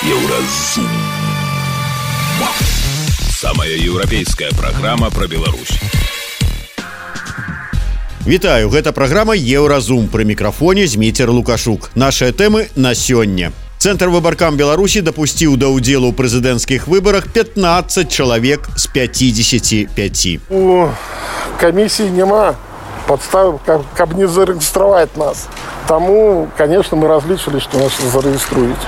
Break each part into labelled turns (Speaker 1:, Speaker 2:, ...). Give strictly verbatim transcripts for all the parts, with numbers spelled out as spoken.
Speaker 1: Еўразум. Самая еўрапейская праграма пра Беларусь.
Speaker 2: Вітаю, гэта праграма Еўразум. Пры мікрафоне Зміцер Лукашук. Нашыя тэмы на сёння. Цэнтр выбаркам Беларусі дапусціў да ўдзелу ў прэзідэнцкіх выбарах пятнаццаць чалавек з пяцідзесяці пяці.
Speaker 3: У камісіі няма подстав, каб не зарэгістраваць нас. Таму, конечно, мы разлічылі, што нас зарэгіструюць.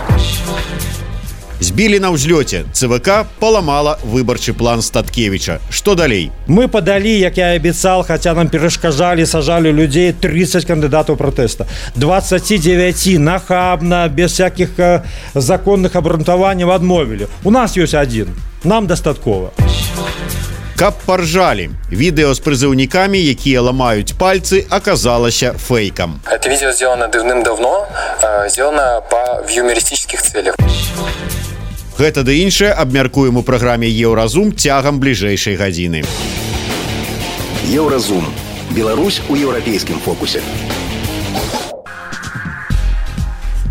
Speaker 2: Збілі на ўзлёце. ЦВК паламала выбарчы план Статкевіча. Што далей?
Speaker 4: Мы падалі, як я абяцал, хаця нам перашкаджалі, сажалі людзей тридцать кандыдатаў пратэста. двадцати девяти нахабна, без всяких э, законных абрунтаванняў адмовілі. У нас ёсць адзін. Нам дастаткова.
Speaker 2: Каб поржалі. Відэо з прызыўнікамі, якія ламаюць пальцы, аказалася фейком.
Speaker 5: Это видео сделано давным-давно, сделано по в юмористических целях.
Speaker 2: Гэта ды іншае абмяркуем у праграме Еўразум цягам бліжэйшай гадзіны.
Speaker 1: Еўразум. Беларусь у еўрапейскім фокусе.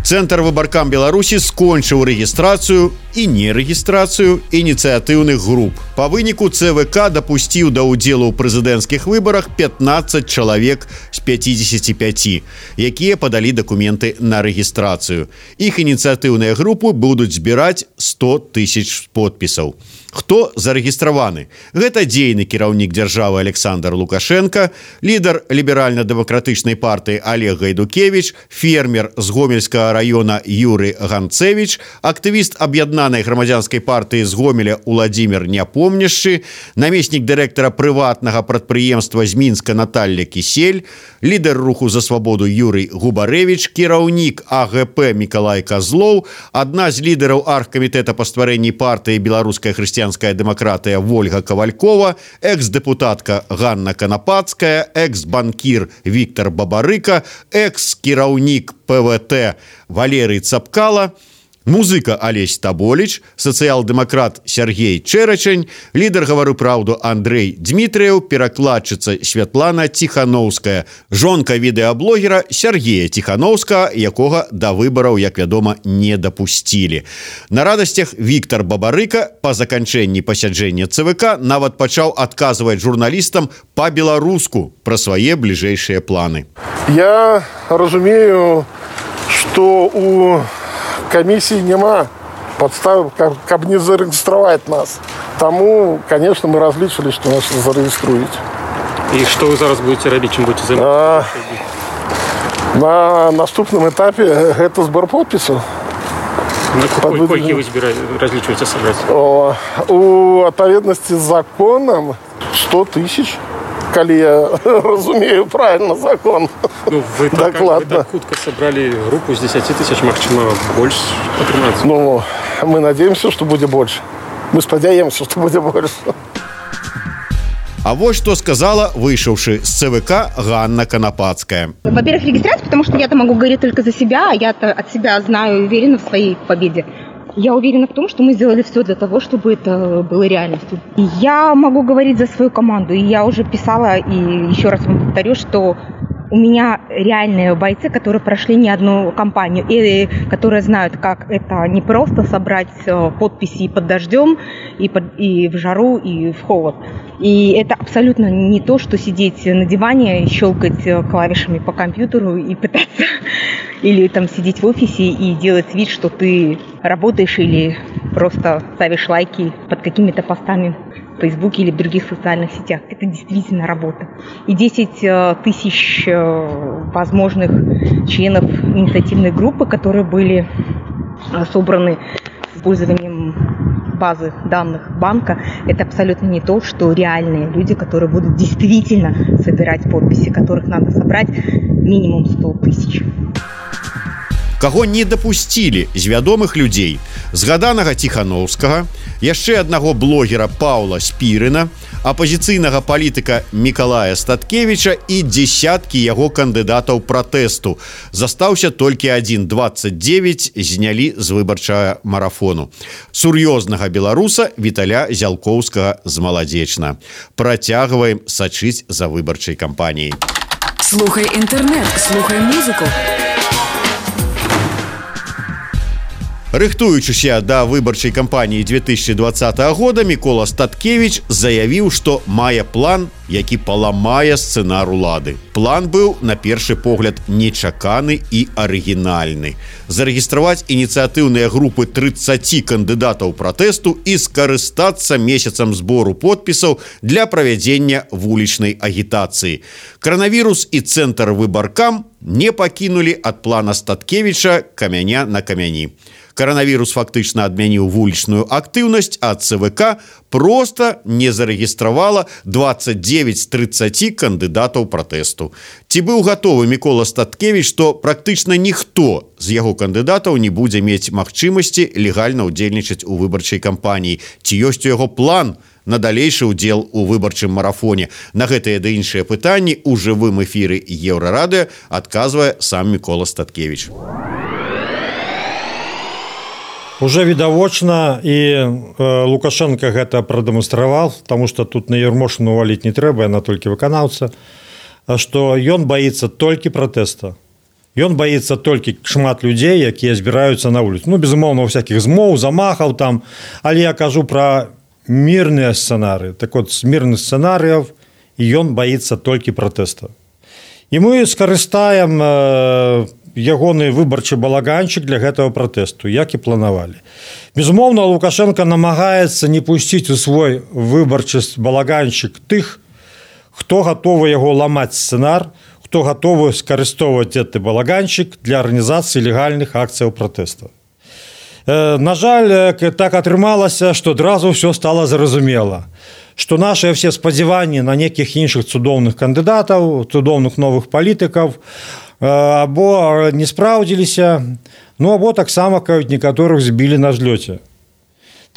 Speaker 2: Цэнтр выбаркам Беларусі скончыў рэгістрацыю і нерэгістрацыю ініцыятыўных груп. Па выніку ЦВК дапусціў да ўдзелу ў прэзідэнцкіх выбарах пятнаццаць чалавек з пяцідзесяці пяці, якія падалі дакументы на рэгістрацыю. Іх ініцыятыўныя групы будуць збіраць сто тысяч подпісаў. Хто зарэгістраваны? Гэта дзейны кіраўнік дзяржавы Александр Лукашенко, лідар ліберальна-дэмакратычнай партыі Олег Гайдукевич, фермер з Гомельскага района Юрий Ганцевич, актывіст аб'яднанай грамадзянскай партыі з Гомеля Уладзімір Няпомняшчы, намеснік дырэктара прыватнага прадпрыемства з Мінска Наталья Кісель, лідар руху за свабоду Юрий Губарэвіч, кіраўнік АГП Мікалай Казлоў, адна з лідараў аргкамітэта па стварэнні партыі Беларуская хрысціянская дэмакратыя Вольга Кавалькова, экс-дэпутатка Ганна Канапацкая, экс-банкір Віктор Бабарыка, экс-кіраўнік ПВТ Валерый Цапкала, музыка Алесь Таболіч, сацыял-дэмакрат Сергей Чэрачань, лідар «Гавару праўду» Андрэй Дмітрыяў, перакладчыца Святлана Ціханоўская, жонка відэаблогера Сергея Ціханоўскага, якога да выбараў, як вядома, не дапусцілі. На радасцях Віктор Бабарыка па заканчэнні пасяджэння ЦВК нават пачаў адказваць журналістам па-беларуску пра свае бліжэйшыя планы.
Speaker 3: Я разумею, што у камісіі няма подстав, каб не зарэгістраваць нас. Таму, конечно, мы разлічылі, што нас зарэгіструюць.
Speaker 6: І што вы зараз будете рабіць, чым будете займацца?
Speaker 3: На наступным этапе гэта збор подпісаў.
Speaker 6: Колькі вы разлічваеце сабраць?
Speaker 3: У адпаведнасці з законам сто тысяч. Калі я разумею правильно закон.
Speaker 6: Ну, вы, так, вы так хутка собрали группу с десяти тысяч, магчыма, больше атрымаецца.
Speaker 3: Ну, мы надеемся, что будет больше. Мы спадзяемся, что будет больше.
Speaker 2: А вот что сказала вышедшая с ЦВК Ганна Канапацкая.
Speaker 7: Во-первых, регистрация, потому что я-то могу говорить только за себя, а я-то от себя знаю и уверена в своей победе. Я уверена в том, что мы сделали все для того, чтобы это было реальностью. И я могу говорить за свою команду. И я уже писала, и еще раз вам повторю, что у меня реальные бойцы, которые прошли не одну кампанию, и которые знают, как это не просто собрать подписи под дождем, и, под, и в жару, и в холод. И это абсолютно не то, что сидеть на диване, щелкать клавишами по компьютеру и пытаться, или там сидеть в офисе и делать вид, что ты работаешь или просто ставишь лайки под какими-то постами в Фейсбуке или в других социальных сетях. Это действительно работа. И десять тысяч возможных членов инициативной группы, которые были собраны с использованием базы данных банка, это абсолютно не то, что реальные люди, которые будут действительно собирать подписи, которых надо собрать минимум сто тысяч.
Speaker 2: Каго не дапусцілі з вядомых людзей: згаданага Ціханоўскага, яшчэ аднаго блогера Паўла Спірына, апазіцыйнага палітыка Мікалая Статкевіча і дзесяткі яго кандыдатаў пратэсту. Застаўся толькі адзін, двадцать девять знялі з выбарчага марафону. Сур'ёзнага беларуса Віталя Зялкоўскага з Маладзечна. Працягваем сачыць за выбарчай кампаніяй.
Speaker 8: Слухай інтэрнэт, слухай музыку.
Speaker 2: Рыхтуючыся да выбарчай кампаніі две тысячи двадцатого года, Мікола Статкевич заявіў, што мае план, які паламае сцэнар улады. План быў, на першы погляд, нечаканы і арыгінальны. Зарэгістраваць ініцыятыўныя групы тридцати кандыдатаў пратэсту і скарыстацца месяцам збору подпісаў для правядзення вулічнай агітацыі. Каранавірус і цэнтр выбаркам не пакінулі ад плана Статкевіча камяня на камяні. Каранавірус фактычна адмяніў вулічную актыўнасць, а ЦВК проста не зарэгістравала двадцать девять з тридцати кандыдатаў пратэсту. Ці быў гатовы Мікола Статкевич, што практычна ніхто з яго кандыдатаў не будзе мець магчымасці легальна ўдзельнічаць у выбарчай кампаніі? Ці ёсць у яго план на далейшы ўдзел у выбарчым марафоне? На гэтыя ды іншыя пытанні ў жывым эфіры Еўрарадыё адказвае сам Мікола Статкевич.
Speaker 4: Уже відавочна, і э, Лукашенко гэта прадэманстраваў, таму што тут на Ермошыну валіць не трэба, яна толькі выканаўца, што ён баіцца толькі пратэста. Ён баіцца толькі шмат людзей, якія збіраюцца на вуліцу. Ну, безумоўна, у всякіх змоў, замахаў там, але я кажу пра мірныя сцэнарыі. Так от, з мірных сцэнарыяў ён баіцца толькі пратэста. І мы скарыстаем э, ягоны выбарчы балаганчык для гэтага пратэсту, як і планавалі. Безумоўна, Лукашенко намагаецца не пусціць у свой выбарчы балаганчык тых, хто гатовы яго ламаць сцэнар, хто гатовы скарыстоўваць гэты балаганчык для арганізацыі легальных акцыяў пратэста. Э, на жаль, так атрымалася, што адразу ўсё стала зразумела, што нашыя все спадзяванні на нейкіх іншых цудоўных кандыдатаў, цудоўных новых палітыкаў або не спраўдзіліся, ну або таксама некаторых збілі на злёце.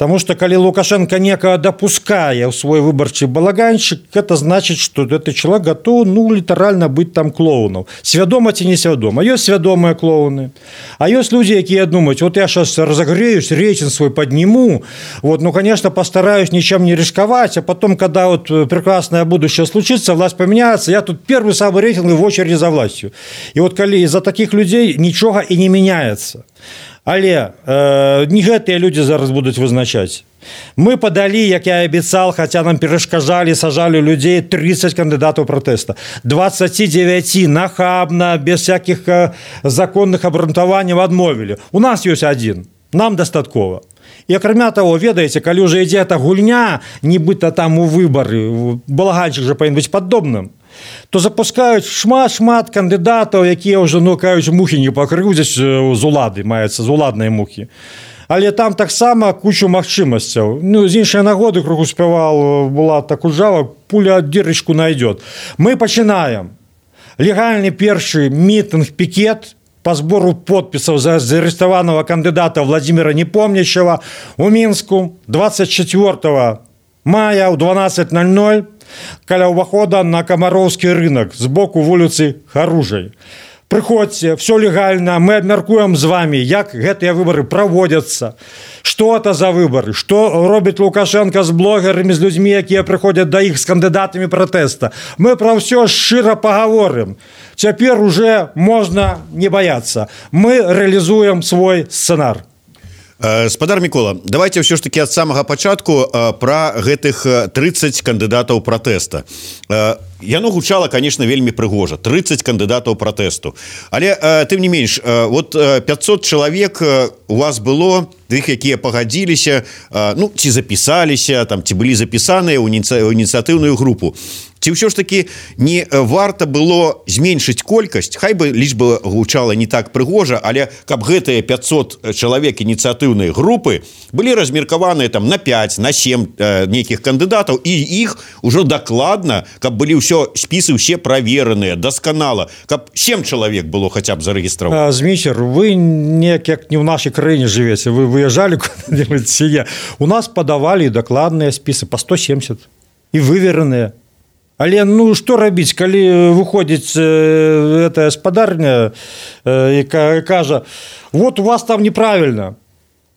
Speaker 4: Таму што калі Лукашенко некага дапускае ў свой выбарчы балаганчык, гэта значыць, што гэты чалавек гатоў, ну, літаральна быць там клоунаў. Свядома ці несвядома. Ёсць свядомыя клоуны. А ёсць людзі, якія думаюць, вот я сейчас разогреюсь, рейтинг свой подниму, вот, ну, конечно, постараюсь ничем не рисковать, а потом, когда вот прекрасное будущее случится, власть поменяется, я тут первый самый рейтинг в очереди за властью. И вот коли из-за таких людей ничего и не меняется. Але э, не гэтыя людзі зараз будуць вызначаць. Мы падалі, як я абяцаў, хаця нам перашкаджалі, сажалі людзей тридцать кандыдатаў пратэста. двадцать девять нахабна, без всяких э, законных абрунтаванняў адмовілі. У нас ёсць адзін. Нам дастаткова. І акрамя таго, ведаеце, калі ўжо ідзе эта гульня, нібыта там у выбары, балаганчык жа павінен быць падобным, то запускаюць шмат-шмат кандыдатаў, якія ўжо, ну, кажуць, мухі не пакрыўдзяць з улады, маецца, з уладнай мухі. Але там таксама кучу магчымасцяў. Ну, з іншай нагоды, крыху спявал, была так ужава, пуля дырочку найдет. Мы пачынаем легальны першы мітынг, пікет по збору подпісаў за заарэставанага кандыдата Владимира Непомнящего у Мінску двадцать четвёртого мая ў дванаццаць ноль ноль каля ўвахода на Камароўскі рынок з боку вуліцы Харужай. Прыходзьце, все легальна, мы абмяркуем з вами, як гэтыя выбары праводзяцца, што это за выбары, што робіць Лукашенко з блогерамі, з людзьмі, якія прыходзяць да іх з кандыдатамі пратэста. Мы пра ўсё шчыра пагаворым. Цяпер уже можна не баяцца. Мы рэалізуем свой сцэнар.
Speaker 2: Спадар Мікола, давайте ўсё ж таки ад самага пачатку пра гэтых тридцать кандыдатаў пратэста. Яно гучала, конечно, вельмі прыгожа. тридцать кандыдатаў пратэсту. Але, тым не менш, вот пятьсот чалавек у вас было, тых, якія пагадзіліся, ну, ці запісаліся, там, ці былі запісаныя ў ініцыятыўную групу. Ці ўсё ж таки не варта было зменшыць колькасць, хай бы лічба гучала не так прыгожа, але каб гэтыя пятьсот чалавек ініцыятыўнай групы былі размеркаваныя там на пять, на семь э, нейкіх кандыдатаў, і іх ужо дакладна, каб былі ўсё спісы ўсе правераныя, дасканала, каб семь чалавек было хаця б зарэгістраваць.
Speaker 4: Зміцер, вы неяк як не ў нашай краіне жывеце, вы выязджалі куды-небудзь ці я. У нас падавалі дакладныя спісы по сто семьдесят і вывераныя. Але, ну, што рабіць, калі выходзіць э, эта спадарня э, і кажа, вот у вас там неправільна.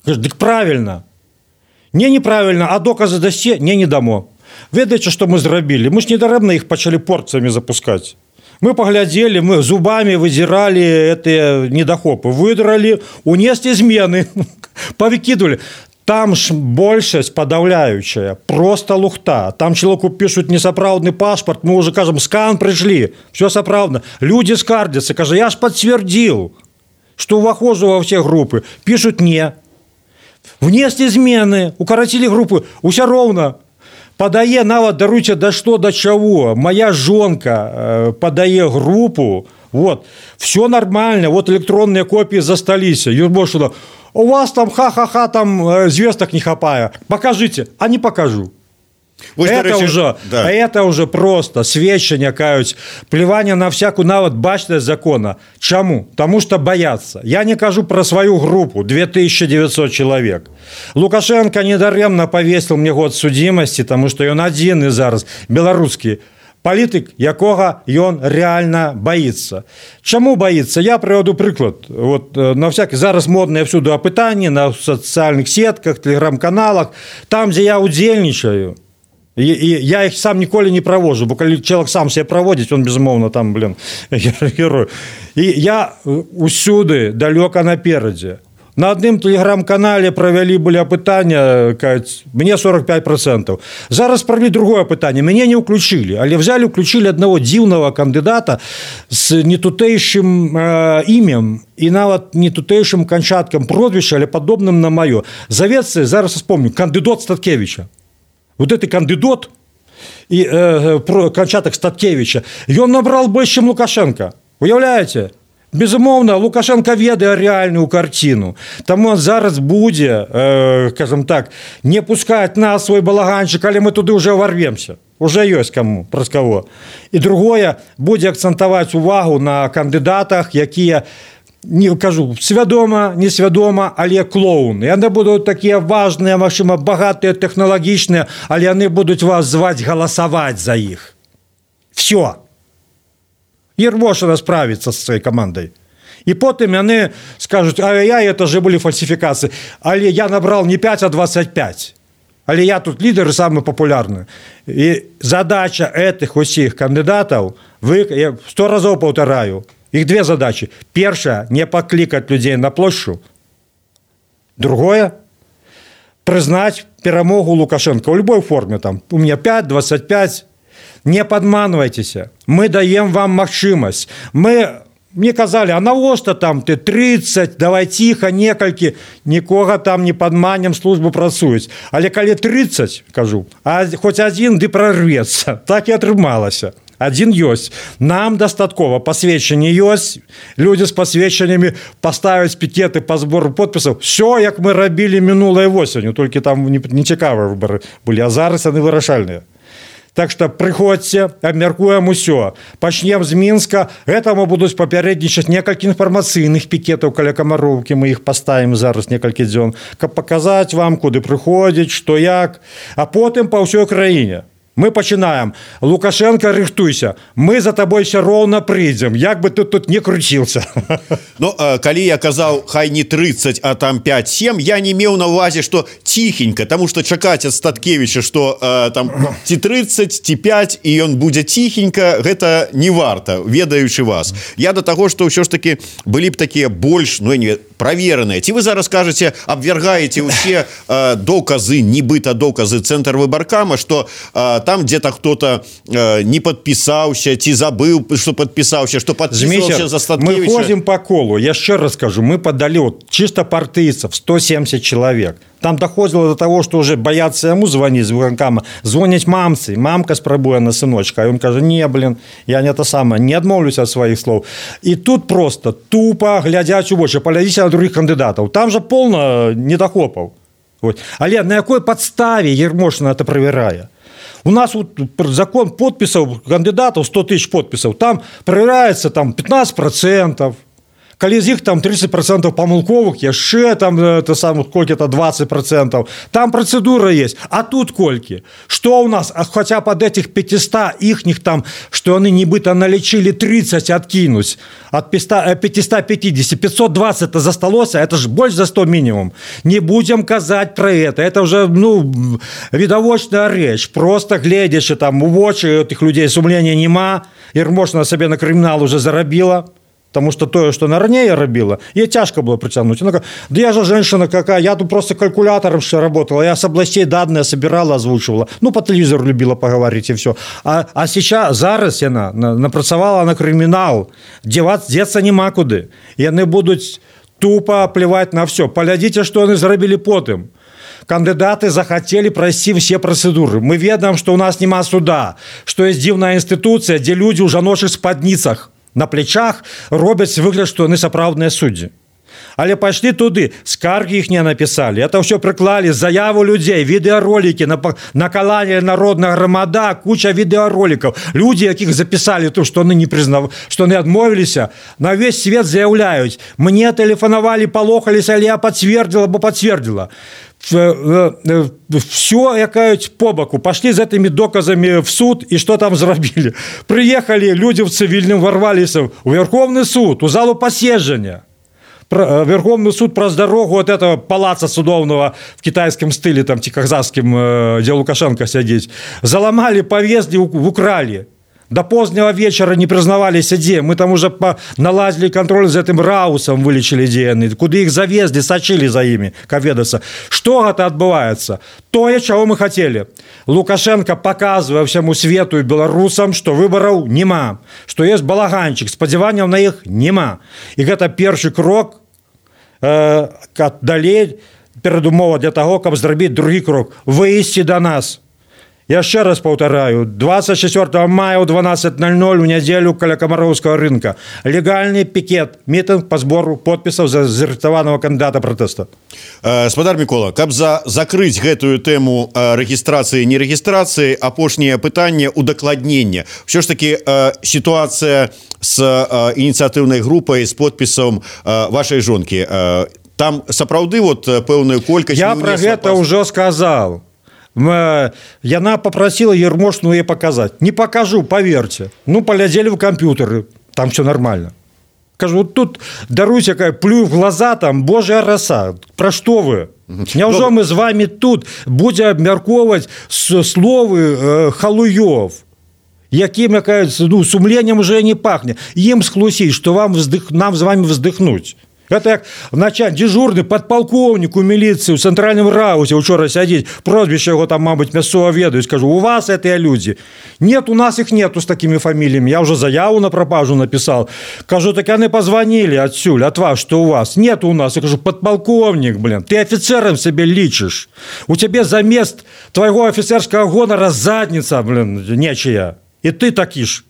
Speaker 4: Кажа, дык правільна. Не неправільна, а доказы дасце? Не, не дамо. Ведаеце, што мы зрабілі? Мы ж недарэбна іх пачалі порцыямі запускаць. Мы поглядели, мы зубами выдирали эти недохопы, выдрали, унесли измены, повыкидывали. Там ж большасць подавляющая, просто лухта. Там человеку пишут несапраўдны паспорт, мы уже кажем, скан пришли, все сапраўдно. Люди скардятся, кажа, я ж подтвердил, что увахожу во все группы. Пишут не. Внесли измены, укоротили группы, уся ровно. Подае, нават, даруйте, да что, до чего. Моя жонка э, подае группу, вот, все нормально, вот электронные копии застались. Юрбошина, у вас там ха-ха-ха, там э, звездок не хапая. Покажите, а не покажу. Вы это, речі... уже, да. это уже просто сведчення, кажуть, плевание на всякую нават бачность закона. Чему? Потому что боятся. Я не кажу про свою группу, две тысячи девятьсот человек. Лукашенко недаремно повесил мне год судимости, потому что он один и зараз белорусский політик, якого ён реально боится. Чему боится? Я приведу приклад. Вот, на всякие, зараз модные всюду опытания на социальных сетках, телеграм-каналах, там, где я удзельнічаю, и, и я их сам ніколі не провожу, бо коли человек сам себе проводит, он, безумовно, там, блин, герой. И я усюды далеко напереди. На одном телеграм-канале провели были опытания, мне сорок пять процентов. Зараз провели другое опытание, меня не включили, але взяли, включили одного дивного кандидата с нетутейшим э, именем и нават нетутейшим кончатком прозвища, але подобным на мое. Зовется, зараз вспомню, кандидат Статкевича. Вот этот кандидат и э, кончаток Статкевича, и он набрал больше, чем Лукашенко. Уявляете? Безумовно, Лукашенко ведае реальную картину. Тому он зараз буде, э, скажем так, не пускать нас в свой балаганчик, але мы туды уже ворвемся. Уже есть кому, праз кого. И другое, буде акцентовать увагу на кандидатах, якія, не кажу, свядома, несвядома, але клоуны. Яны будут такие важные, магчыма, богатые, технологичные, але яны будут вас звать голосовать за их. Все. Ермошина справится со своей командой. И потом они скажут, ай-яй, это же были фальсификации. Але я набрал не пять, а двадцать пять. Але я тут лидер и самый популярный. И задача этих усіх кандидатов, вы, я сто разов повторяю, их две задачи. Первая, не покликать людей на площадь. Другое, признать перемогу Лукашенко в любой форме. Там, у меня пять, двадцать пять. Не подманывайтесь. Мы даем вам магчымасць. Мы, мне казали, а навошта там ты тридцать, давай тихо, некалькі, нікога там не падманем, службу працуюць. Але калі тридцать, кажу, а хоць один ды прорвецца. Так і атрымалася. Один ёсць. Нам дастаткова пасведчанне ёсць. Люди с пасведчаннямі поставяць пікеты по сбору подпісаў. Все, як мы рабілі мінулай восенню, толькі там нецікавыя выборы былі, а зараз яны вырашальныя. Так что приходьте, обмяркуем усё. Пачнем з Мінска. Гэтаму будуць папярэднічаць некалькі інфармацыйных пікетаў каля Камароўкі. Мы іх паставім зараз некалькі дзён, каб паказаць вам, куды прыходзіць, што як. А потым па ўсёй краіне. Мы пачинаем. Лукашенко, рыхтуйся. Мы за тобой все ровно придем. Як бы ты тут не крутился.
Speaker 2: Ну, калі я казаў, хай не тридцать, а там пять-семь, я не меў на увазе, что тихенько, потому что чакаць ад Статкевича, что э, там ці тридцать, ці пять, и он будзе тихенько, гэта не варта, ведаючы вас. Я до того, что ўсё ж таки былі б такія больш, ну, не проверенные. Ці вы зараз кажаце, абвергаеце ўсе э, доказы, нібыта доказы Цэнтр выбаркама, что э, там где-то кто-то э, не подписался, ти забыл, что подписался, что подписывался за Статкевича.
Speaker 4: Мы ходим по колу. Я еще раз скажу, мы подали вот, чисто партийцев сто семьдесят человек. Там доходило до того, что уже боятся ему звонить, звонить мамці. Мамка спробує на сыночка. А он каже, не, блин, я не то самое, не отмовлюсь от своих слов. И тут просто тупо глядять у вочі, поглядіть на других кандидатов. Там же полно недохопов. Вот. Але на якой подставе Ермошина это проверяет? У нас вот закон подписов кандидатов, сто тысяч подписов, там проверяется там, пятнадцать процентов. Калі з іх там тридцать процентов памылковых, яшчэ там это сам колькі-то двадцать процентов. Там процедура есть. А тут колькі? Что у нас? А хотя под этих пятьсот ихних там, что они нібыта налечили тридцать откинуть от пятьсот пятьдесят, пятьсот двадцать это засталося, это же больше за сто минимум. Не будем казать про это. Это уже, ну, видовочная речь. Просто глядячи там в очи этих людей сумления нема, и можно себе на криминал уже заробила. Потому что то, что на ранее робила, ей тяжко было притянуть. Она говорит, да я же женщина какая, я тут просто калькулятором все работала, я с областей данные собирала, озвучивала. Ну, по телевизору любила поговорить, и все. А, а сейчас, зараз она напрацавала на криминал, деваться, деться нема куды. И они будут тупо плевать на все. Поглядите, что они заробили потом. Кандидаты захотели пройти все процедуры. Мы ведаем, что у нас нема суда, что есть дивная институция, где люди уже ношат в спадницах. На плечах робяць выгляд, што яны сапраўдныя суддзі. Але пайшлі туды, скаргі іх не напісалі. Это ўсё прыклалі, заяву людзей, відэаролікі, накаланне народная грамада, куча відэаролікаў. Людзі, якіх запісалі то, што яны не прызнав... што яны адмовіліся, на весь свет заяўляюць. Мне тэлефанавалі, палохаліся, але я пацвердзіла, бо пацвердзіла. Все, якаюць по боку, пошли з этими доказами в суд, и что там зрабілі? Приехали люди в цивильном, ворвались в Верховный суд, у залу посещения. Верховный суд про дорогу от этого палаца судовного в китайском стиле, там, казахским, где Лукашенко сидит, заломали, повезли, украли. До позднего вечера не признавались, где. Мы там уже налазили контроль за этим Раусом, вылечили ДНК. Куда их завезли, сочили за ими, коведаться. Что это отбывается? То, чего мы хотели. Лукашенко показывая всему свету и белорусам, что выборов нема, что есть балаганчик, сподеванием на их нема. И это первый крок э, далее передумова для того, как сделать другой крок. Выйти до нас. Я еще раз повторяю, двадцать четвёртого мая у дванадцать ноль ноль в неделю каля Комаровского рынка. Легальный пикет, митинг по сбору подписов за зарыхтаванного кандидата протеста.
Speaker 2: Спадар Микола, каб за закрыть гэтую тему регистрации, не регистрации, апошнее пытание удокладнения. Все ж таки ситуация с инициативной группой, с подписом вашей жонки. Там сапраўды вот пэўную колькасць...
Speaker 4: Я про это пас... уже сказал. Яна попросила Ермошину ей показать. Не покажу, поверьте. Ну, полезли в компьютеры, там все нормально. Скажу, вот тут, даруйте, какая, плюю в глаза, там, божья роса. Про что вы? Неужели мы с вами тут будем обмерковывать словы э, халуев? Яким, ну, сумлением уже не пахнет. Им схлусить, что вам вздых, нам с вами вздохнуть. Это як начальник, дежурный подполковник у милиции в центральном раусе вчера сидит, прозвище его там, мабуть, мясцова ведают, скажу, у вас это люди. Нет, у нас их нету с такими фамилиями. Я уже заяву на пропажу написал. Кажу, так они позвонили отсюда, от вас, что у вас. Нет у нас. Я кажу, подполковник, блин, ты офицером себе личишь. У тебя замест твоего офицерского гонора задница, блин, нечия. И ты таки ж.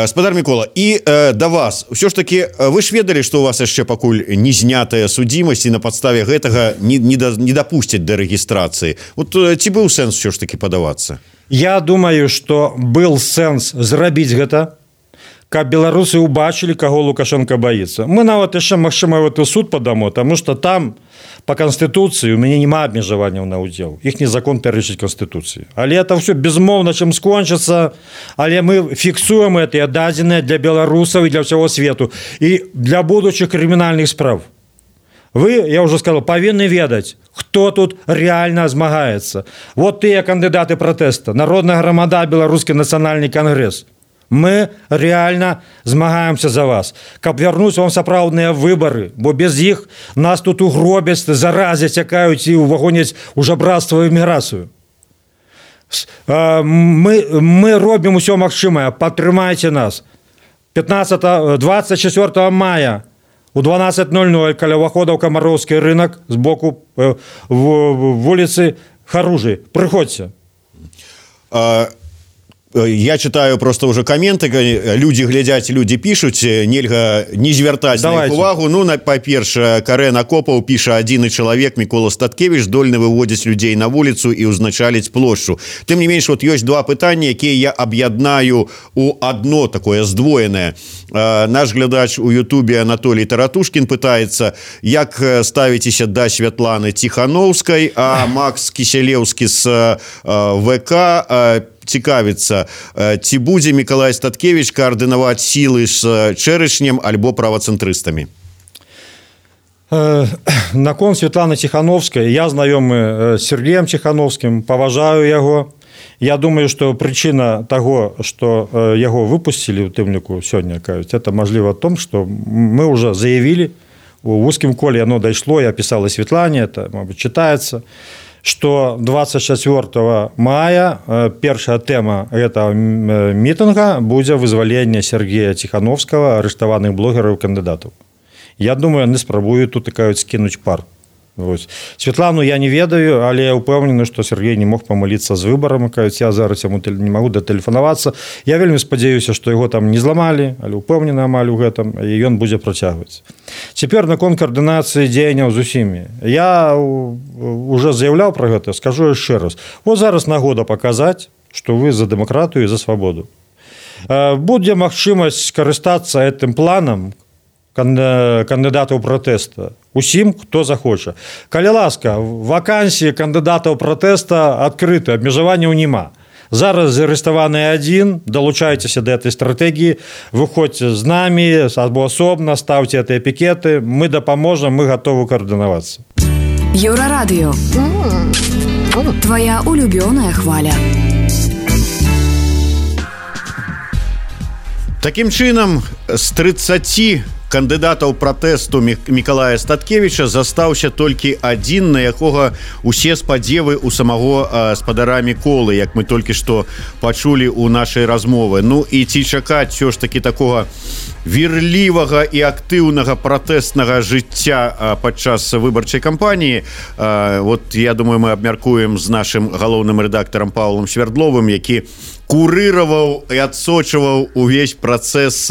Speaker 2: Спадар Микола, і э, да вас ўсё ж таки вы ж ведалі, што у вас яшчэ пакуль не знятая судзімасць і на падставе гэтага не, не, да, не дапусцяць да рэгістрацыі. Вот ці быў сэнс ўсё ж таки падавацца?
Speaker 4: Я думаю, што был сэнс зрабіць гэта, каб беларусы убачылі, каго Лукашенко боится. Мы нават яшчэ магчыма в этот суд падамо, таму што там по Конституции у меня нема абмежаванняў на удзел. Их не закон пярэчыць Конституции. Але это все безмоўна чым скончыцца, але мы фіксуем это дадзеныя для беларусаў и для всего свету и для будущих криминальных справ. Вы, я уже сказал, павінны ведаць, кто тут реально змагаецца. Вот тыя кандидаты протеста, Народная грамада, Беларускі нацыянальны конгресс. Мы реально змагаемся за вас, каб вярнуць вам сапраўдныя выборы, бо без іх нас тут угробяць, заразяць, цякаюць і увагоняць у жабрацтва і міграцыю. Мы, мы робім усё магчымае, падтрымайце нас. пятнадцатого, двадцать четвёртого мая у дванадцать ноль ноль каля ўвахода ў Камароўскі рынок з боку э, в, вуліцы Харужы. Прыходзьце.
Speaker 2: А... Я читаю просто уже комменты, люди глядят, люди пишут, нельга не звертать на их увагу. Ну, по-перше, Карен Акопов пишет, один и человек, Микола Статкевич, дольно выводить людей на улицу и узначалить площу. Тем не меньше, вот есть два питания, которые я объединяю у одно такое сдвоенное. Наш глядач у Ютубе Анатолий Таратушкин пытается, як ставитесь до Святланы Тихановской, а Макс Киселевский с ВК цікавіцца, ці будзе Миколай Статкевич координаваць силы с Черешнем альбо правоцентрыстами?
Speaker 4: Наконт Светланы Тихановской, я знаёмы с Сергеем Тихановским, паважаю яго. Я думаю, что причина того, что яго выпустили у тым ліку сёння, это мажліва в том, что мы уже заявили, у узкім коле оно дайшло, я писал и Светлане, это, может быть, читается, что двадцать четвёртого мая первая тема этого митинга будет вызволение Сергея Тихановского, арыштаваных блогеров и кандидатов. Я думаю, они спробуют тут такая скинуть пар. Ось. Светлану я не ведаю, але я упэўнены, што Сергей не мог памыліцца з выбарам, кажуць, я зараз яму не магу датэлефанавацца. Я вельмі спадзяюся, што яго там не зламалі, але упэўнены амаль у гэтым, і ён будзе працягваць. Цяпер наконт каардынацыі дзеянняў з усімі. Я уже заяўляў пра гэта, скажу яшчэ раз. Вот зараз нагода паказаць, што вы за дэмакратыю і за свабоду. Будзе магчымасць карыстацца гэтым планам кандыдатаў пратэста усім, хто захоча. Калі ласка, вакансіі кандыдатаў пратэста адкрыты, абмежаванняў няма. Зараз зарыставаны адзін, далучайцеся да этой стратэгіі, выходзьце з намі або асобна, ставце гэтыя пікеты, мы дапаможам, мы гатовы каардынавацца.
Speaker 8: Еўрарадыё. Твоя улюбёная хваля.
Speaker 2: Такім чынам, з трыццаці кандыдатаў пратэсту Миколая Статкевича застаўся толькі адзін, на якога усе спадзевы у самого спадара Міколы, як мы толькі што пачулі ў нашай размовы. Ну і ці чакаць ўсё ж такі такога вірлівага і актыўнага пратэстнага жыцця падчас выбарчай кампаніі. Вот я думаю, мы абмяркуем з нашым галоўным рэдактарам Паўлам Свердловым, які курыраваў і адсочваў увесь працэс,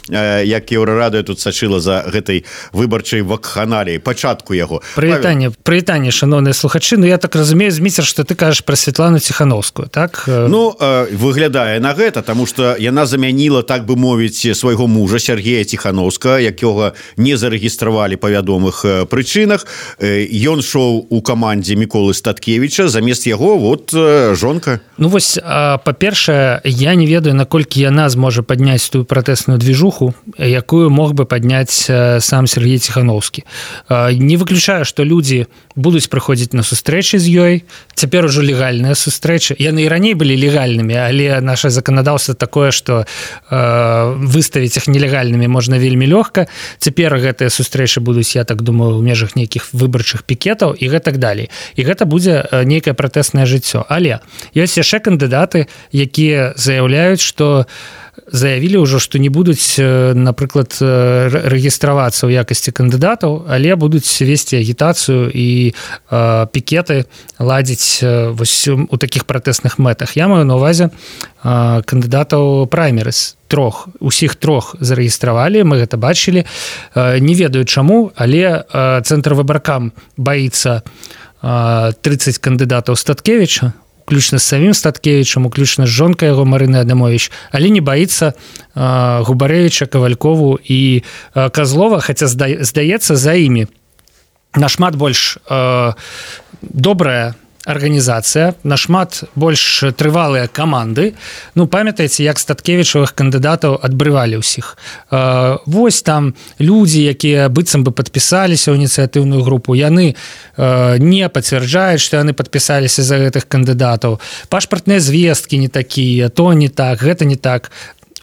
Speaker 2: як Еўрарадыё тут сачыла за гэтай выбарчай вакханаліяй, пачатку яго.
Speaker 9: Прывітанне, прывітанне, шановныя слухачы. Ну я так разумею, Зміцер, што ты кажаш пра Светлану Тихановскую, так?
Speaker 2: Ну, выглядае на гэта, таму што яна замяніла, так бы мовіць, свайго мужа Сергея Тихановскага, якога не зарэгістравалі па вядомых прычынах. Ён шоў у камандзе Міколы Статкевича, замест яго вот жонка.
Speaker 9: Ну вось, па-першае, я не ведаю, наколькі яна зможа падняць тую пратэсную движуху, якую мог бы падняць сам Сергей Тихановскі. Не выключаю, што людзі будуць прыходзіць на сустрэчы з ёй. Цяпер ужо легальныя сустрэчы. Яны і раней былі легальнымі, але наша заканадаўства такое, што выставіць іх нелегальнымі можна вельмі лёгка. Цяпер гэтыя сустрэчы будуць, я так думаю, у межах нейкіх выбарчых пікетаў і гэтак далей. І гэта будзе нейкае пратэснае жыццё. Але ёсць яшчэ кандыдаты, якія заяўляюць, што заявілі ўжо, што не будуць, напрыклад, рэгістравацца ў якасці кандыдатаў, але будуць весці агітацыю і э, пікеты ладзіць вось у такіх пратэсных мэтах. Я маю на ўвазе э, кандыдатаў праймерыс. Трох, усіх трох зарэгістравалі, мы гэта бачылі. Э, не ведаю чаму, але э, Цэнтр выбаркам баіцца э, трыццаць кандыдатаў Статкевича, уключна з самім Статкевичам, уключна з жонкай яго Марыны Адамович, але не баіцца э, Губарэвіча, Кавалькову і э, Казлова, хаця зда, здаецца, за імі нашмат больш э, добрая арганізацыя, нашмат больш трывалыя каманды. Ну, памятаеце, як Статкевічавых кандыдатаў адбрывалі ўсіх. Э, вось там людзі, якія быццам бы падпісаліся ў ініцыятыўную групу, яны э, не пацвярджаюць, што яны падпісаліся за гэтых кандыдатаў. Пашпартныя звесткі не такія, то не так, гэта не так.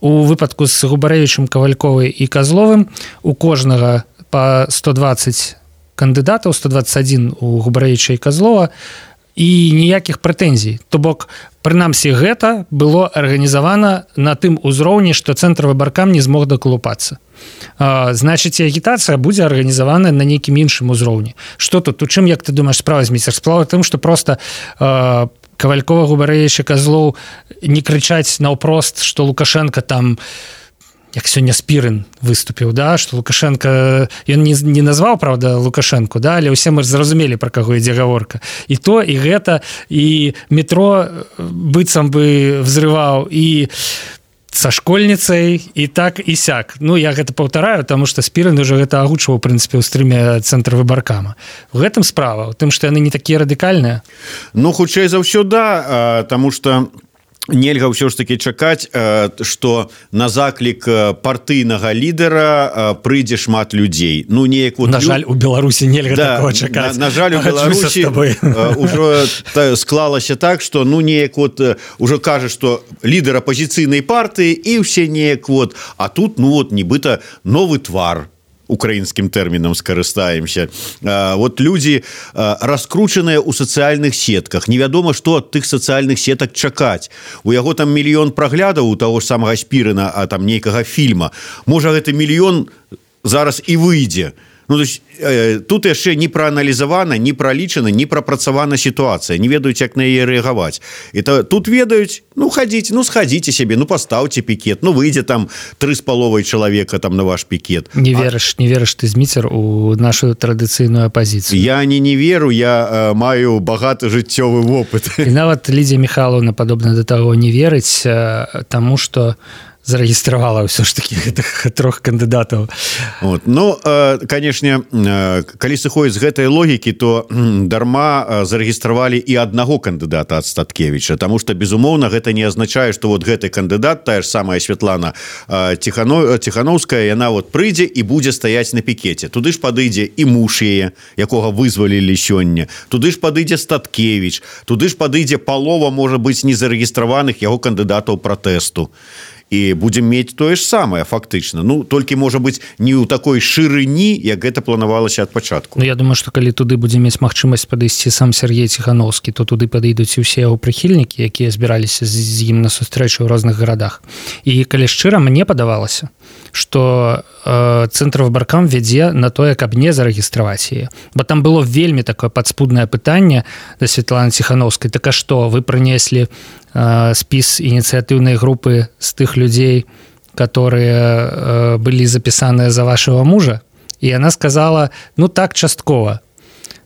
Speaker 9: У выпадку з Губарэвічам, Кавальковай і Казловым у кожнага па сто дваццаць кандыдатаў, сто дваццаць адзін у Губарэвіча і Казлова, і ніякіх прэтэнзій. То бок, прынамсі, гэта было арганізавана на тым узроўні, што Цэнтр выбаркам не змог дакалупацца. Значыць, агітацыя будзе арганізавана на нейкім іншым узроўні. Што тут? У чым, як ты думаеш, справа, Зміцер? Справа тым, што проста э, Кавалькова, Губарэвіч і Казлоў не крычаць наўпрост, што Лукашенко там, як сёння Спірын выступіў, да, што Лукашенко, ён не, не назваў, правда, Лукашенко, да, але ўсе мы зразумелі, пра каго ідзе гаворка. І то, і гэта, і метро быццам бы взрываў, і са школьніцай і так і сяк. Ну я гэта паўтараю, таму што Спірын уже гэта агучваў у прынцыпе ў стрыме цэнтра выбаркама. У гэтым справа, у тым, што яны не такія радыкальныя.
Speaker 2: Ну хутчэй за ўсё да, таму што нельга ўсё ж таки чакаць, што на заклік партыйнага лідара прыйдзе шмат людзей. Ну неяк вот
Speaker 9: на жаль, у Беларусі нельга да, такого чакаць.
Speaker 2: На, на жаль, у Беларусі ўжо склалася так, што ну неяк вот ўжо кажа, што лідар апазіцыйнай партыі і ўсе неяк вот, а тут ну вот нібыта новы твар. Украінскім тэрмінам скарыстаемся. Вот людзі раскручаныя ў сацыяльных сетках. Невядома, што ад тых сацыяльных сетак чакаць. У яго там мільён праглядаў у таго ж самага Спірына, а там нейкага фільма. Можа, гэты мільён зараз і выйдзе. Ну, то есть, э, тут яшчэ не прааналізавана, не пралічана, не прапрацавана сітуацыя. Не ведаюць, як на яе рэагаваць. І то, тут ведаюць, ну, хадзіце, ну, схадзіце сябе, ну, пастаўце пікет, ну, выйдзе там тры з паловай чалавека там на ваш пікет.
Speaker 9: Не верыш, а... не верыш ты, Зміцер, у нашу традыцыйную апазіцыю.
Speaker 2: Я не не веру, я э, маю багаты жыццёвы вопыт.
Speaker 9: І нават Лідзія Міхайлаўна падобна да таго не верыць, э, таму што зарэгістравала ўсё ж такі гэтых трох кандыдатаў.
Speaker 2: Вот. Ну, э, канешне, э, калі сыходзіць з гэтай логікі, то э, дарма э, зарэгістравалі і аднаго кандыдата ад Статкевіча, таму што, безумоўна, гэта не азначае, што вот гэты кандыдат, тая ж самая Святлана э, Тихано, Тихановская, яна вот прыйдзе і будзе стаяць на пікеце. Туды ж падыдзе і муж яе, якога вызвалілі сёння. Туды ж падыдзе Статкевіч. Туды ж падыдзе палова, можа быць, незарэгістраваных яго кандыдатаў пратэсту. І будзем мець тое ж самае фактычна. Ну толькі можа быць не ў такой шырыні, як гэта планавалася ад пачатку.
Speaker 9: Ну я думаю, што калі туды будзе мець магчымасць падысці сам Сергей Ціхановскі, то туды падыдуць і ўсе яго прыхільнікі, якія збіраліся з ім на сустрэчу ў розных гарадах. І калі шчыра, мне падавалася, што э, цэнтр выбаркам вядзе на тое, каб не зарэгістраваць яе. Бо там было вельмі такое падспуднае пытанне да Святланы Ціхановскай. Так а што, вы прынеслі спіс ініцыятыўнай групы з тых людзей, которые былі запісаныя за вашего мужа, і яна сказала, ну так, часткова.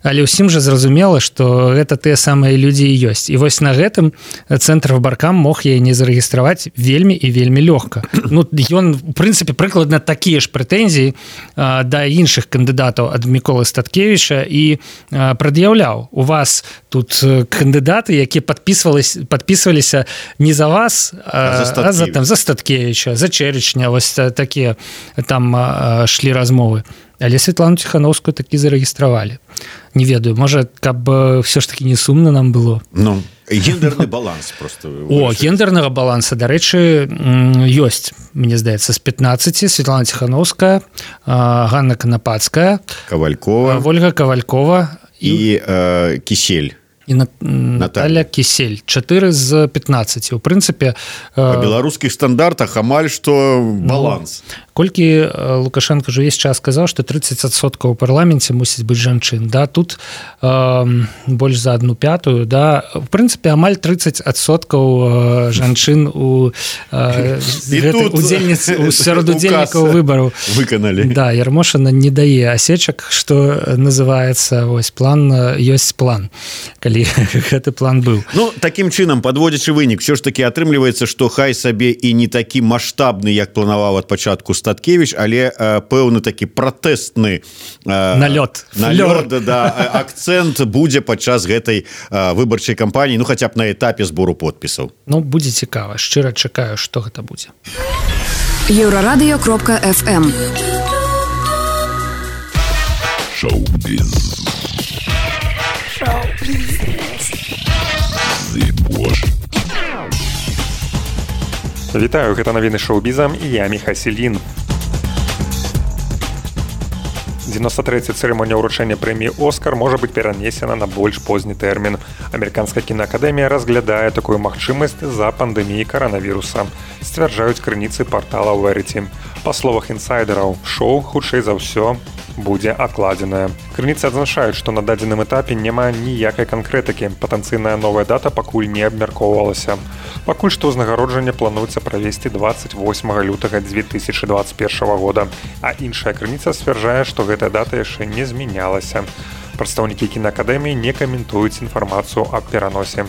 Speaker 9: Але ўсім жа зразумела, што гэта тыя самыя людзі і ёсць. І вось на гэтым цэнтр выбаркам мог яе не зарэгістраваць вельмі і вельмі лёгка. Ну, ён, у прынцыпе, прыкладна такія ж прэтэнзіі а, да іншых кандыдатаў ад Міколы Статкевіча і а, прад'яўляў. У вас тут кандыдаты, якія падпісваліся не за вас, а, а за, там, за Статкевіча, за Чэречня, вось такія там а, шлі размовы. Але Святлану Ціхановскую такі зарэгістравалі. Не ведаю, можа, каб все ж таки не сумна нам было.
Speaker 2: Ну, гендерны баланс просто.
Speaker 9: О, гендернага баланса, дарэчы, ёсць, мне здаецца, з пятнаццаці Святлана Ціхановская, Ганна Канапацкая,
Speaker 2: Кавалькова,
Speaker 9: Вольга Кавалькова
Speaker 2: і э, Кісель.
Speaker 9: І Наталя Кісель. чатыры з пятнаццаці. У прынцыпе...
Speaker 2: Па беларускіх стандартах амаль што баланс.
Speaker 9: Ну, колькі Лукашенко ж увесь час сказаў, што трыццаць адсоткаў у парламенце мусіць быць жанчын. Да, тут э, больш за адну пятую. Да. У прынцыпе, амаль трыццаць адсоткаў жанчын у э, удзельніц, у сярод удзельнікаў выбараў.
Speaker 2: Выканалі.
Speaker 9: Да, Ярмошина не дае асечак, што называецца вось план, ёсць план. Калі гэты план быў.
Speaker 2: Ну, такім чынам, падводзячы вынік, все ж таки атрымліваецца, што хай сабе і не такі маштабны, як планаваў ад пачатку Статкевіч, але э, пэўны такі пратэстны э,
Speaker 9: налёт,
Speaker 2: налёт да, акцэнт будзе падчас гэтай э, выбарчай кампаніі, ну хаця б на этапе збору подпісаў.
Speaker 9: Ну, будзе цікава, шчыра чакаю, што гэта будзе.
Speaker 8: Еўрарадыё кропка эф эм.
Speaker 1: Шоу-біз.
Speaker 10: Вітаю, гэта навіны шоу-бізам і я Міха Селін. дзевяносто трэцяя цырымонія ўручэння прэміі «Оскар» можа быць перанесена на больш позні тэрмін. Амерыканская кінаакадэмія разглядае такую магчымасць з-за пандэміі каранавіруса, сцвярджаюць крыніцы партала Verity. Па словах інсайдераў, шоу, хутчэй за ўсё, будзе адкладзеная. Крыніцы адзначаюць, што на дадзеным этапе няма ніякай канкрэтыкі. Патэнцыйная новая дата пакуль не абмяркоўвалася. Пакуль што ўзнагароджанне плануецца правесці дваццаць восьмага лютага дзве тысячы дваццаць першага года, а іншая крыніца сцвярджае, што гэтая дата яшчэ не змянялася. Прадстаўнікі кінаакадэміі не каментуюць інфармацыю аб пераносе.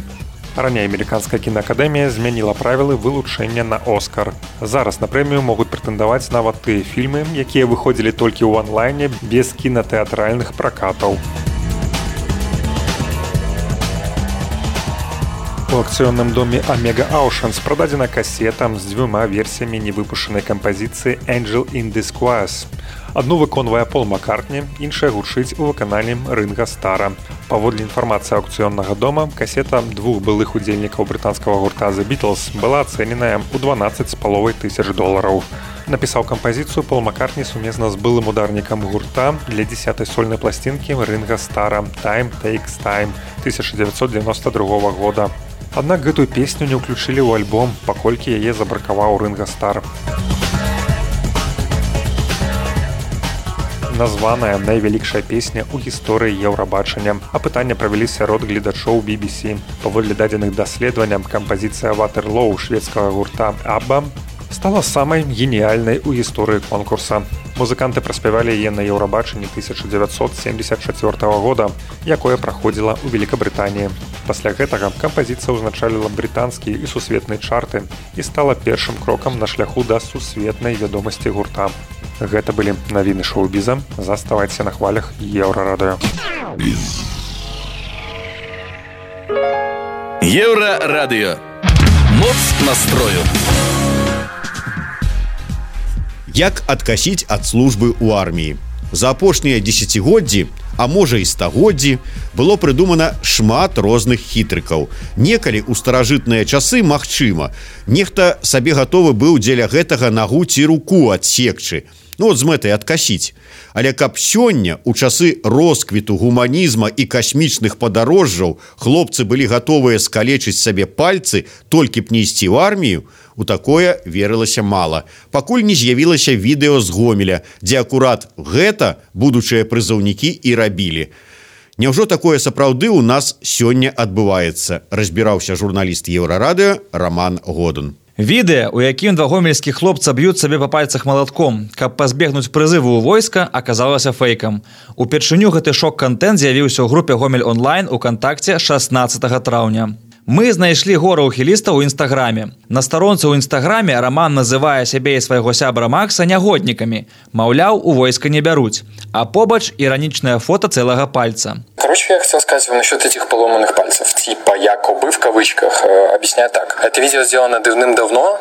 Speaker 10: Раней амерыканская кінаакадэмія змяніла правілы вылучэння на Оскар. Зараз на прэмію могуць прэтэндаваць нават тыя фільмы, якія выходзілі толькі ў онлайне без кінатэатральных пракатаў. У акцыённым доме Omega Oceans прададзена касета з дзвюма версіямі невыпушчанай кампазіцыі «Angel in Disguise». Адну выконвае Пол Маккартні, іншая гучыць у выкананні Ринга Стара. Паводле інфармацыі аўкцыённага дома, касета двух былых удзельнікаў брытанскага гурта The Beatles была ацэненая ў дванаццаць з паловай тысяч долараў. Напісаў кампазіцыю Пол Маккартні сумесна з былым ударнікам гурта для дзесятай сольнай пласцінкі Ринга Стара «Time Takes Time» тысяча дзевяцьсот дзевяноста другога года. Аднак гэтую песню не ўключылі ў альбом, паколькі яе забракаваў Ринга Стар. Названая найвялікшая песня ў гісторыі Еўрабачання. Апытанне правялі сярод гледачоў би би сі. Паводле дадзеных даследаванняў, кампазіцыя «Waterloo» шведскага гурта «Абба» стала самай геніяльнай у гісторыі конкурса. Музыканты праспявалі яе на Еўрабачанні тысяча дзевяцьсот семьдесят чацвёртага года, якое праходзіла ў Великабрытаніі. Пасля гэтага кампазіцыя ўзначаліла брытанскія і сусветныя чарты і стала першым крокам на шляху да сусветнай вядомасці гурта. Гэта былі навіны шоу-біза. Заставайце на хвалях Еўрарадыё.
Speaker 1: Еўрарадыё. Моц настрою.
Speaker 2: Як адкасіць ад службы ў арміі? За апошнія дзесяцігоддзі, а можа і стагоддзі, было прыдумана шмат розных хітрыкаў. Некалі ў старажытныя часы, магчыма, нехта сабе гатовы быў дзеля гэтага нагу ці руку адсекчы. Ну, от з мэтай адкасіць. Але каб сёння, у часы росквіту гуманізма і касмічных падарожжаў, хлопцы былі гатовыя скалечыць сабе пальцы, толькі б не ісці ў армію, у такое верылася мала, пакуль не з'явілася відэо з Гомеля, дзе акурат гэта будучыя прызыўнікі і рабілі. Няўжо такое сапраўды ў нас сёння адбываецца, разбіраўся журналіст Еўрарадыё Роман Годун.
Speaker 11: Відэа, у якім два гомельскіх хлопца б'юць сабе па пальцах малатком, каб пазбегнуць прызыву ў войска, аказалася фэйкам. Упершыню гэты шок-кантэнт з'явіўся ў групе Гомель онлайн у кантакце шаснаццатага траўня. Мы знайшлі гора ухіліста ў інстаграме. На старонцы ў інстаграме Роман называе сябе і свайго сябра Макса нягоднікамі. Маўляў, у войска не бяруць. А побач ироничное фото целого пальца.
Speaker 5: Короче, я хотел сказать вам насчет этих поломанных пальцев. Типа якобы в кавычках. Объясняю так. Это видео сделано давным-давно.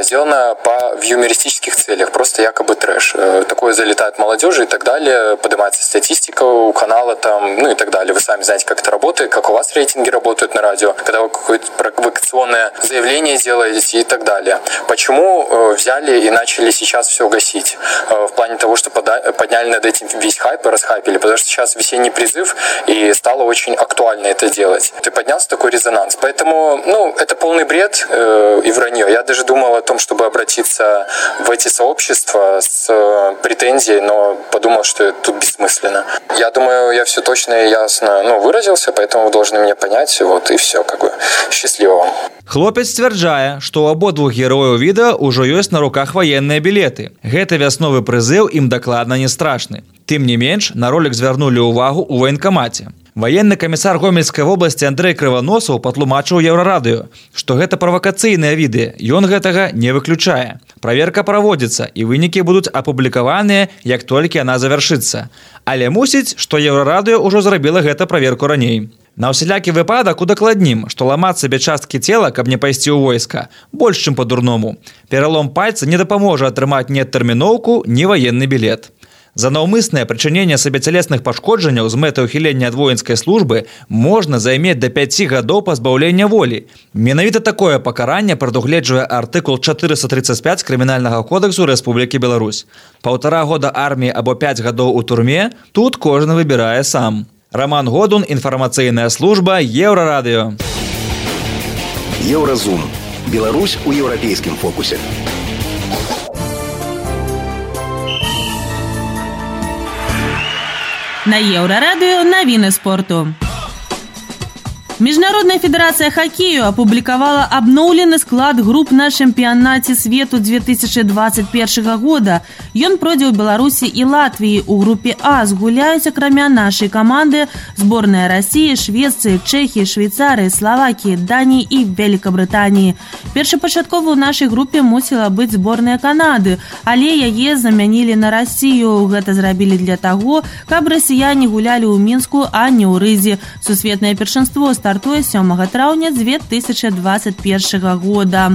Speaker 5: Сделано по в юмористических целях. Просто якобы трэш. Такое залетает молодежи и так далее. Поднимается статистика у канала там, ну и так далее. Вы сами знаете, как это работает, как у вас рейтинги работают на радио. Когда вы какое-то провокационное заявление делаете и так далее. Почему взяли и начали сейчас все гасить? В плане того, что подняли над этим весь хайп и расхайпили. Потому что сейчас весенний призыв, и стало очень актуально это делать. И поднялся такой резонанс. Поэтому, ну, это полный бред э, и вранье. Я даже думал о том, чтобы обратиться в эти сообщества с э, претензией, но подумал, что это тут бессмысленно. Я думаю, я все точно и ясно, ну, выразился, поэтому вы должны меня понять. Вот и все, как бы. Счастливо вам.
Speaker 11: Хлопец сцвярджае, што ў абодвух герояў відэа ўжо ёсць на руках ваенныя білеты. Гэты вясновы прызыў ім дакладна не страшны. Тым не менш, на ролик звярнулі ўвагу ў ваенкамаце. Военный камісар Гомельскай вобласці Андрэй Крываносаў патлумачыў Еўрарадыё, што гэта правакацыйныя відэа, ён гэтага не выключае. Праверка праводзіцца, і вынікі будуць апублікаваныя, як толькі яна завяршыцца. Але мусіць, што Еўрарадыё ўжо зрабіла гэта праверку раней. На ўсялякі выпадак удакладнім, што ламаць сабе часткі цела, каб не пайсці ў войска, больш, чым па-дурному. Пералом пальца не дапаможа атрымаць ні адтэрміноўку, ні ваенны білет. За наўмыснае прычыненне сабе цялесных пашкоджанняў з мэтай ухілення ад воінскай службы можна займець да пяці гадоў пазбаўлення волі. Менавіта такое пакаранне прадугледжвае артыкул чатырыста трыццаць пяць Крымінальнага кодексу Рэспублікі Беларусь. Паўтара года арміі або пяць гадоў у турме, тут кожны выбірае сам. Роман Годун, інфармацыйная служба, Еўрарадыё.
Speaker 1: Еўразум. Беларусь у еўрапейскім фокусе.
Speaker 12: На Еўрарадыё навіны спорту. Международная федерация хоккею опубликовала обновленный склад групп на чемпионате свету две тысячи двадцать первого года. Ён пройдзе ў Беларусі і Латвіі. У групе А згуляюць, акрамя нашай каманды, зборная России, Швеции, Чехии, Швейцарии, Словакии, Дании и Великобритании. Першапачаткова ў нашай групе мусіла быць зборная Канады, але яе замянілі на Россию. Гэта зрабілі для таго, каб расіяне гулялі ў Мінску, а не ў Рызе. Сусветнае першынство стартуе сёмага траўня две тысячи двадцать первого года.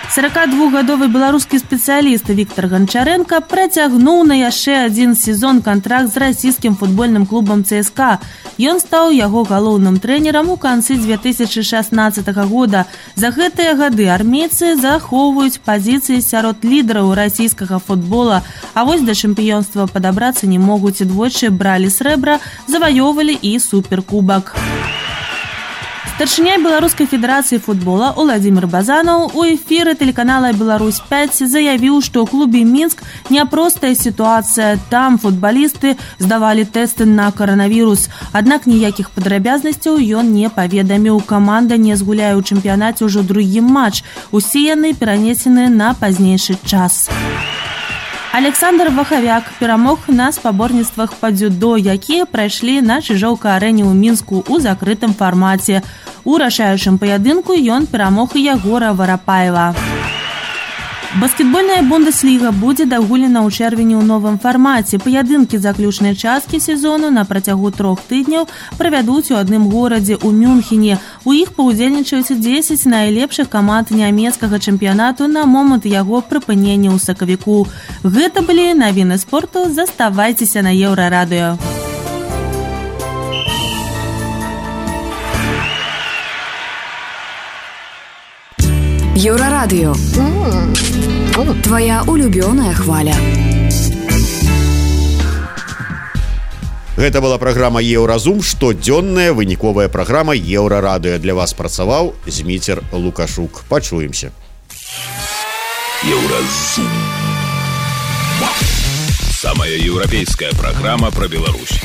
Speaker 12: сорокадвухгадовы беларускі спецыяліст Віктор Гончаренко працягнуў на яшчэ адзін сезон кантракт з расійскім футбольным клубам ЦСКА. Ён стаў яго галоўным трэнерам у канцы две тысячи шестнадцатого года. За гэтыя гады армейцы захоўваюць пазіцыі сярод лідараў расійскага футбола, а вось да чэмпіёнства падабрацца не могуць. Двойчы бралі срэбра, заваёвалі і суперкубак. Старшыня Беларускай федэрацыі футбола Уладзімір Базанаў у эфіры тэлеканала Беларусь пять заявіў, што ў клубе Мінск няпростая сітуацыя. Там футбалісты здавалі тэсты на каранавірус. Аднак ніякіх падрабязнасцяў ён не паведаміў. Каманда не згуляе ў чэмпіянаце ўжо другі матч. Усе яны перанесены на пазнейшы час. Александр Вахавяк перамог на спаборніцтвах па дзюдо, якія прайшлі на Чыжоўка-арэне ў Мінску ў закрытым фармаце. У рашаючым паядынку ён перамог і Ягора Варапаева. Баскетбольная Бундесліга будзе дагулена ў чэрвені ў новым фармаце. Паядынкі заключнай часткі сезону на працягу трох тыдняў правядуць у адным горадзе ў Мюнхене. У іх паўдзельнічаюць дзесяць найлепшых каманд нямецкага чэмпіянату на момант яго прыпынення ў сакавіку. Гэта былі навіны спорту. Заставайцеся на Еўрарадыё.
Speaker 8: Еўрарадыё. Твоя улюбёная хваля.
Speaker 2: Гэта была праграма Еўразум, штодзённая выніковая праграма Еўрарадыё. Для вас працаваў Зміцер Лукашук. Пачуемся.
Speaker 1: Еўразум. Самая еўрапейская праграма пра Беларусь.